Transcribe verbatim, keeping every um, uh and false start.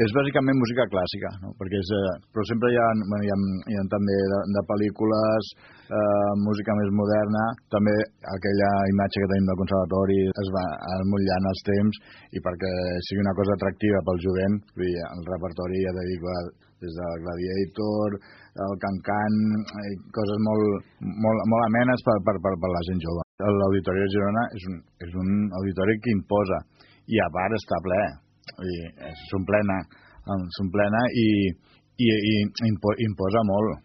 És bàsicament música clàssica, no? Perquè és, eh, però sempre hi ha, bueno, hi ha, hi ha també de, de pel·lícules, eh, música més moderna, també aquella imatge que tenim del conservatori es va emmotllant els temps i perquè sigui una cosa atractiva pel jovent, vull dir, el repertori ja t'he dit, des de Gladiator, el Can-Can, coses molt, molt, molt amenes per, per, per, per la gent jove. L'Auditori de Girona és un, és un auditori que imposa i a part està ple. S'omplena, s'omplena i, i, i impo, imposa molt.